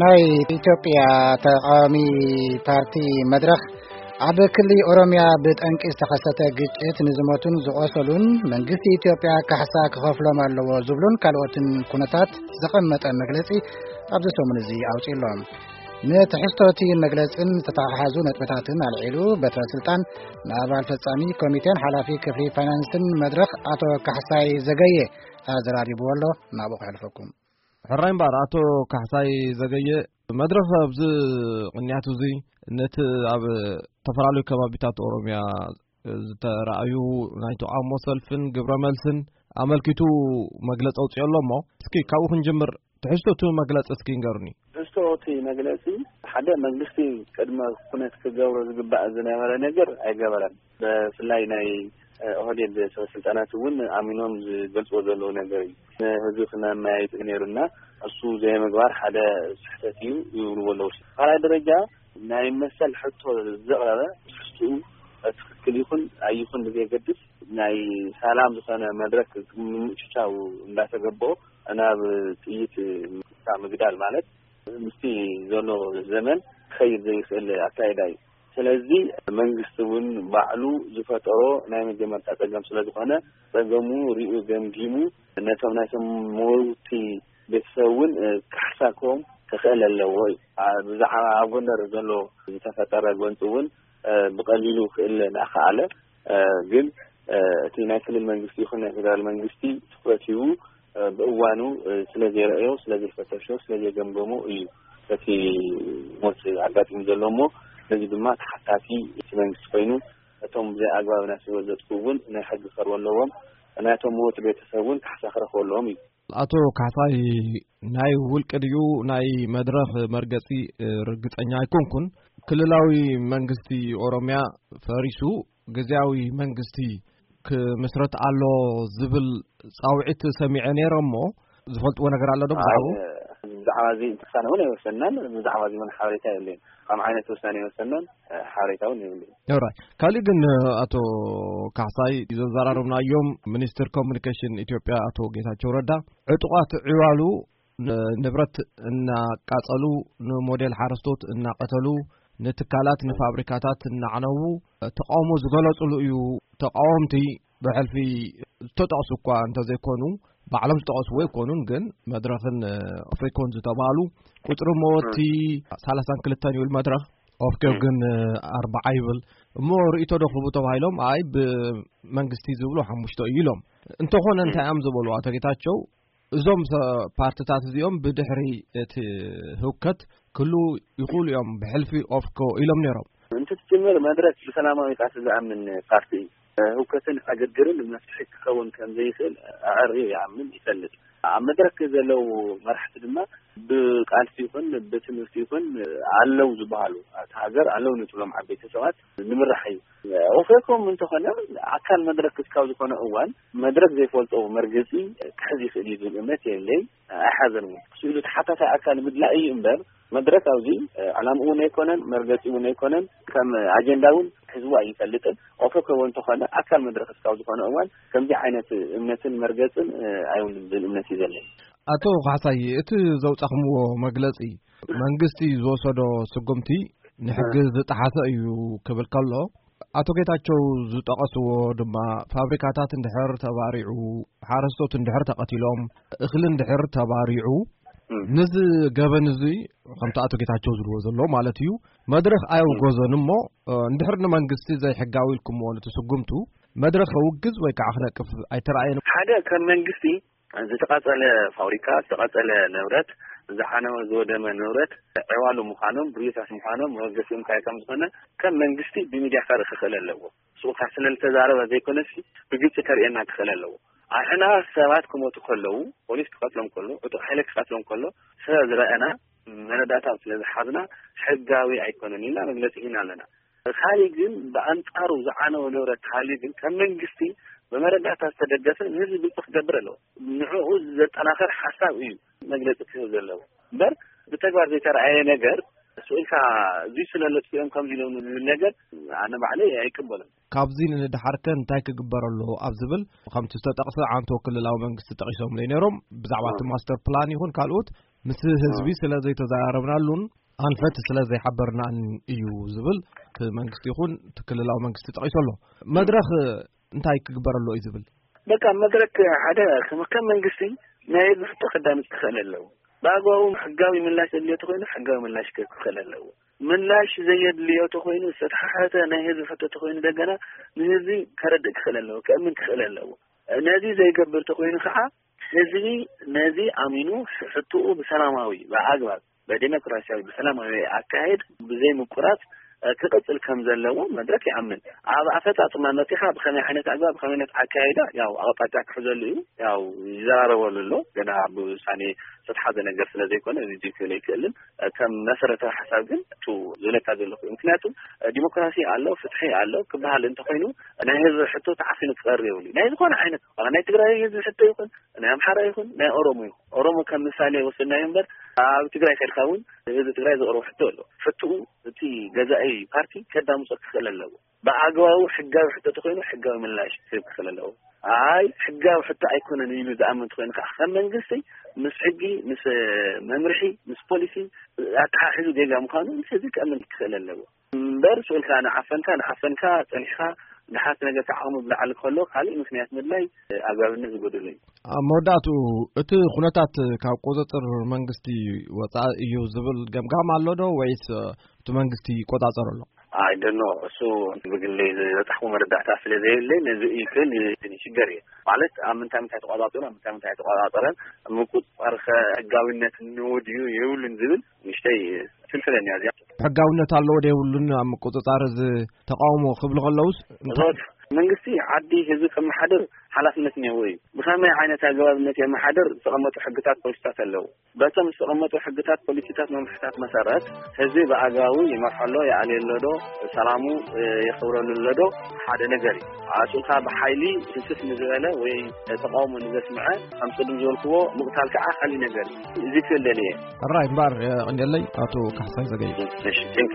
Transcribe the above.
ናይ ኢትዮጵያ ተቃዋሚ ፓርቲ መድረኽ ኣብ ክሊ ኦሮምያ ብጠንቂ ዝተኸሰተ ግጭት ንዝሞቱን ዝቆሰሉን መንግስቲ ኢትዮጵያ ካሕሳ ክኸፍሎም ኣለዎ ዝብሉን ካልኦትን ኩነታት ዘቐመጠ መግለጺ ኣብዚ ሰሙን እዚ ኣውጺእሎም። ንትሕዝቶ እቲ መግለጽን ዝተተሓሓዙ ነጥብታትን ኣልዒሉ በትረ ስልጣን ንኣባል ፈጻሚ ኮሚቴን ሓላፊ ክፍሊ ፋይናንስን መድረኽ ኣቶ ካሕሳይ ዘገየ ኣዘራሪብዎ ኣሎ። ናብኡ ከሕልፈኩም። ሕራይ እምበኣር ኣቶ ካሕሳይ ዘገየ፣ መድረኽ ኣብዚ ቅንያት እዚ ነቲ ኣብ ዝተፈላለዩ ከባቢታት ኦሮምያ ዝተራእዩ ናይ ተቃውሞ ሰልፍን ግብረ መልስን ኣመልኪቱ መግለጺ ኣውጺኦ ኣሎ እሞ፣ እስኪ ካብኡ ክንጅምር። ትሕዝቶ እቲ መግለጺ እስኪ ንገሩኒ። ትሕዝቶ እቲ መግለጺ፣ ሓደ መንግስቲ ቅድመ ኩነት ክገብሮ ዝግባእ ዝነበረ ነገር ኣይገበረን። ብፍላይ ናይ ኦህዴድ ሰበ ስልጣናት እውን ኣሚኖም ዝገልጽዎ ዘለዉ ነገር እዩ። ንህዝቢ ክነመያይጥ ነይሩና፣ እሱ ዘይምግባር ሓደ ስሕተት እዩ ይብልዎ ኣለዉ። ካልኣይ ደረጃ፣ ናይ መሰል ሕቶ ዘቕረበ ትሕዝትኡ ትኽክል ይኹን ኣይኹን ብዘየገድስ፣ ናይ ሰላም ዝኾነ መድረክ ንምጭቻው እንዳተገበኦ ናብ ጥይት ምግዳል ማለት ምስቲ ዘሎ ዘመን ክኸይድ ዘይኽእል ኣካይዳ እዩ። ስለዚ መንግስቲ እውን ባዕሉ ዝፈጠሮ ናይ መጀመርታ ጸገም ስለ ዝኾነ፣ ጸገሙ ሪኡ ገምጊሙ ነቶም ናይቶም መወውቲ ቤተሰብ እውን ክሕሳኮም ክኽእል ኣለዎ እዩ። ብዛዕባ ኣብ ጎንደር ዘሎ ዝተፈጠረ ጎንፂ እውን ብቐሊሉ ክእል እናኸኣለ፣ ግን እቲ ናይ ክልል መንግስቲ ይኹን ናይ ፌደራል መንግስቲ ትኹረት ሂቡ ብእዋኑ ስለ ዘይረእዮ፣ ስለ ዘይፈተሾ፣ ስለ ዘይገምገሞ እዩ እቲ ሞት ኣጋጢሙ ዘሎ እሞ፣ ነዚ ድማ ተሓታቲ እቲ መንግስቲ ኮይኑ፣ እቶም ብዘይ ኣግባብ ናይ ህይወት ዘጥፍኡ እውን ናይ ሕጊ ክቐርቡ ኣለዎም። ናይቶም ሞት ቤተሰብ እውን ካሕሳ ክረኽቡ ኣለዎም እዩ። ኣቶ ካሕሳይ፣ ናይ ውልቂ ድዩ ናይ መድረኽ መርገጺ ርግጸኛ ኣይኮንኩን። ክልላዊ መንግስቲ ኦሮምያ ፈሪሱ ግዝያዊ መንግስቲ ክምስረት ኣሎ ዝብል ጻውዒት ሰሚዐ ነይረ እሞ፣ ዝፈልጥዎ ነገር ኣሎ ዶ ብዛዕባኡ? ብዛዕባ እዚ ውሳነ እውን ኣይወሰናን። ብዛዕባ እዚ እውን ሓበሬታ የለን። ከም ዓይነት ውሳነ ኣይወሰናን፣ ሓበሬታ እውን የብለይን። ኦራይ። ካልእ ግን ኣቶ ካሕሳይ፣ ዘዘራረብናዮም ሚኒስትር ኮሙኒኬሽን ኢትዮጵያ ኣቶ ጌታቸው ረዳ፣ ዕጡቓት ዕዋሉ ንብረት እናቃጸሉ፣ ንሞዴል ሓረስቶት እናቐተሉ፣ ንትካላት፣ ንፋብሪካታት እናዕነዉ ተቃውሞ ዝገለጹሉ እዩ። ተቃወምቲ ብሕልፊ ዝተጠቕሱ እኳ እንተዘይኮኑ፣ ባዕሎም ዝጠቐስዎ ኣይኮኑን፣ ግን መድረኽን ኦፌኮን ዝተባሉ ቁጽሪ መወቲ ሰላሳን ክልተን ይብል መድረኽ፣ ኦፌኮ ግን ኣርባዓ ይብል። እሞ ርእይቶ ዶ ክህቡ ተባሂሎም፣ ኣይ ብመንግስቲ ዝብሉ ሓሙሽተ እዩ ኢሎም። እንተኾነ እንታይ እዮም ዝበሉ ኣቶ ጌታቸው? እዞም ሰ-፣ ፓርትታት እዚኦም ብድሕሪ እቲ ህውከት ክህልዉ ይኽእሉ እዮም፣ ብሕልፊ ኦፌኮ ኢሎም ነይሮም። እንትትጅምር መድረክ ብሰላማዊ ቃልሲ ዝኣምን ፓርቲ እዩ። ህውከትን ዕግርግርን መፍትሒ ክኸውን ከም ዘይኽእል ኣዐርዩ ይኣምን፣ ይፈልጥ። ኣብ መድረክ ዘለዉ መራሕቲ ድማ ብቃልሲ ይኹን ብትምህርቲ ይኹን ኣለዉ ዝበሃሉ፣ ኣብቲ ሃገር ኣለዉ ንትብሎም ዓበይቲ ሰባት ንምራሕ እዩ። ኦፌኮም እንተኾነ ኣካል መድረክ ክስካብ ዝኾነ እዋን መድረክ ዘይፈልጦ መርገጺ ክሕዝ ይኽእል እዩ ዝብል እምነት የለይ፣ ኣይሓዘን እውን። ስኢሉ ተሓታታይ ኣካል ምድላይ እዩ እምበር መድረክ ኣብዚ ዕላምኡ እውን ኣይኮነን፣ መርገጺ እውን ኣይኮነን፣ ከም ኣጀንዳ እውን ሒዝዎ ኣይፈልጥን። ኦፌኮ እውን እንተኾነ ኣካል መድረክ እስካብ ዝኾነ እዋን ከምዚ ዓይነት እምነትን መርገጽን ኣይውንን ዝብል እምነት እዩ ዘለኒ። ኣቶ ካሕሳይ፣ እቲ ዘውጻኽምዎ መግለጺ መንግስቲ ዝወሰዶ ስጉምቲ ንሕጊ ዝጠሓሰ እዩ ክብል ከሎ፣ ኣቶ ጌታቸው ዝጠቐስዎ ድማ ፋብሪካታት እንድሕር ተባሪዑ፣ ሓረስቶት እንድሕር ተቐቲሎም፣ እኽሊ እንድሕር ተባሪዑ፣ እም። ነዚ ገበን እዚ ከምቲ ኣቶ ጌታቸው ዝብልዎ ዘሎ ማለት እዩ፣ መድረኽ ኣየውገዞን እሞ፣ እ፣ እንድሕር ንመንግስቲ ዘይሕጋዊ ኢልኩምዎ ነቲ ስጉምቱ፣ መድረኽ ከውግዝ ወይ ከዓ ክነቅፍ ኣይተራእየን። ሓደ ከም መንግስቲ ዝተቓጸለ ፋብሪካ፣ ዝተቓጸለ ንብረት፣ ዝዓነወ ዝወደመ ንብረት ዕዋሉ ምዃኖም፣ ብርዮታት ምዃኖም መበገሲኦም እንታይ ከም ዝኾነ ከም መንግስቲ ብሚድያ ከርኢ ክኽእል ኣለዎ። ስኡካ ስለ ዝተዛረበ ዘይኮነሲ ብግልጺ ከርእየና ክኽእል ኣለዎ። ኣሕና ሰባት ክሞቱ ከለዉ፣ ፖሊስ ክቐትሎም ከሎ፣ ዕጡቕ ሓይሊ ክቐትሎም ከሎ ስለ ዝረኣና፣ መረዳእታ ስለ ዝሓዝና ሕጋዊ ኣይኮነን ኢልና መግለጺ ሂና ኣለና። ካልእ ግን ብኣንጻሩ ዝዓነወ ንብረት ተሃልዩ ግን ከም መንግስቲ ብመረዳእታ ዝተደገፈ ንህዝቢ ግልጺ ክገብር ኣለዎ። ንዕኡ ዘጠናኸር ሓሳብ እዩ መግለጺ ክህብ ዘለዎ። እምበር ብተግባር ዘይተረኣየ ነገር ስኢልካ እዙይ ስለ ለጥፊኦም ከምዚ ኢሎም ዝብል ነገር ኣነ ባዕለይ ኣይቅበልን። ካብዚ ንድሓርከ እንታይ ክግበር ኣለዎ ኣብ ዝብል፣ ከምቲ ዝተጠቕሰ ዓንቶ ክልላዊ መንግስቲ ጠቒሶምለይ ነይሮም። ብዛዕባ እቲ ማስተር ፕላን ይኹን ካልኦት ምስ ህዝቢ ስለ ዘይተዘራረብናሉን ኣንፈት ስለ ዘይሓበርናን እዩ ዝብል እቲ መንግስቲ ይኹን እቲ ክልላዊ መንግስቲ ጠቒሱ ኣሎ። መድረኽ እንታይ ክግበር ኣለዎ እዩ ዝብል? በቃ መድረክ ሓደ ከም ከም መንግስቲ ናይ ህዝቢ ሕቶ ከዳምፅ ክኽእል ኣለዎ። ብኣግባቡ ሕጋዊ ምላሽ ዘድልዮ ተኮይኑ ሕጋዊ ምላሽ ክህብ ክኽእል ኣለዎ። ምላሽ ዘየድልዮ ተኮይኑ ዝተተሓተ ናይ ህዝቢ ሕቶ ተኮይኑ ደገና ንህዝቢ ከረድእ ክኽእል ኣለዎ፣ ከእምን ክኽእል ኣለዎ። ነዚ ዘይገብር ተኮይኑ ከዓ ህዝቢ ነዚ ኣሚኑ ሕቶኡ ብሰላማዊ ብኣግባብ ብዲሞክራሲያዊ ብሰላማዊ ኣካሄድ ብዘይ ምቁራፅ ክቕፅል ከም ዘለዎ መድረክ ይኣምን። ኣብ ኣፈፃፅማ መፂኻ ብኸመይ ዓይነት ኣግባብ ብኸመይ ዓይነት ኣካይዳ ያው ኣቕጣጫ ክሕዘሉ እዩ ያው ይዘራረበሉ ኣሎ። ገና ብውሳኔ ዝተሓዘ ነገር ስለ ዘይኮነ እዚ ክብል ኣይክእልን። ከም መሰረታዊ ሓሳብ ግን እቱ ዝብለካ ዘለኹ ምክንያቱ ዲሞክራሲ ኣሎ ፍትሒ ኣሎ ክበሃል እንተኮይኑ ናይ ህዝቢ ሕቶ ተዓፊኑ ክቐርብ የብሉ ናይ ዝኾነ ዓይነት ናይ ትግራይ ህዝቢ ሕቶ ይኹን ናይ ኣምሓራ ይኹን ናይ ኦሮሞ ይኹን ኦሮሞ ከም ምሳሌ ወስድናዮ እምበር ኣብ ትግራይ ከድካ እውን ህዝቢ ትግራይ ዘቕርቦ ሕቶ ኣሎ። ሕትኡ እቲ ገዛኢ ፓርቲ ከዳምፆ ክኽእል ኣለዎ። ብኣግባቡ ሕጋዊ ሕቶ ተኮይኑ ሕጋዊ ምላሽ ክህብ ክኽእል ኣለዎ። ኣይ ሕጋዊ ሕቶ ኣይኮነን ኢሉ ዝኣምን ተኮይኑ ከዓ ከም መንግስቲ ምስ ሕጊ ምስ መምርሒ ምስ ፖሊሲ ኣተሓሒዙ ጌጋ ምዃኑ ምስ ህዝቢ ክእምን ክኽእል ኣለዎ። እምበር ስእልካ ንዓፈንካ ንዓፈንካ ፀኒሕካ ንሓት ነገር ተዓቕሙ ብላዕሊ ከሎ ካልእ ምክንያት ምድላይ ኣግባብነት ዝጎደሎ እዩ። ኣብ መወዳእትኡ እቲ ኩነታት ካብ ቁፅፅር መንግስቲ ወፃኢ እዩ ዝብል ገምጋም ኣሎ ዶ ወይስ እቲ መንግስቲ ይቆፃፀር ኣሎ? ኣይ ደኖ እሱ ብግለይ ዝበፃሕኩ መረዳእታ ስለ ዘየለይ ነዚ እዩ ክብል ይሽገር እየ ማለት ኣብ ምንታይ ምንታይ ተቆፃፂሩ ኣብ ምንታይ ምንታይ ተቆፃፀረን ምቁፅፃር ከ ሕጋዊነት እንወድዩ የብሉን ዝብል ንሽተይ ትልፍለኒ እያ እዚኣ። ሕጋውነት ኣለዎ ዶ የብሉን ኣብ ምቁፅፃር እዚ ተቃውሞ ክብሉ ከለውስ እንታይ? እዞት መንግስቲ ዓዲ ህዝቢ ከመሓድር ሓላፍነት እኒሄዎ እዩ። ብኸመይ ዓይነት ኣገባብነት የመሓድር ዝተቐመጡ ሕግታት ፖሊሲታት ኣለዉ። በቶም ዝተቐመጡ ሕግታት ፖሊሲታት መምርሕታት መሰረት ህዝቢ ብኣግባቡ ይመርሖ ኣሎ ይኣልዮ ኣሎ ዶ ሰላሙ የኽብረሉ ኣሎ ዶ ሓደ ነገር እዩ። ኣስኡልካ ብሓይሊ ስስፍ ንዝበለ ወይ ተቃውሞ ንዘስምዐ ከም ቅድም ዝበልክዎ ምቕታል ከዓ ካሊእ ነገር እዩ። እዚ ክብል ደልየ። ሕራይ እምበኣር የቐንየለይ ኣቶ ካሕሳይ ዘገየ። እሺ ቴንክ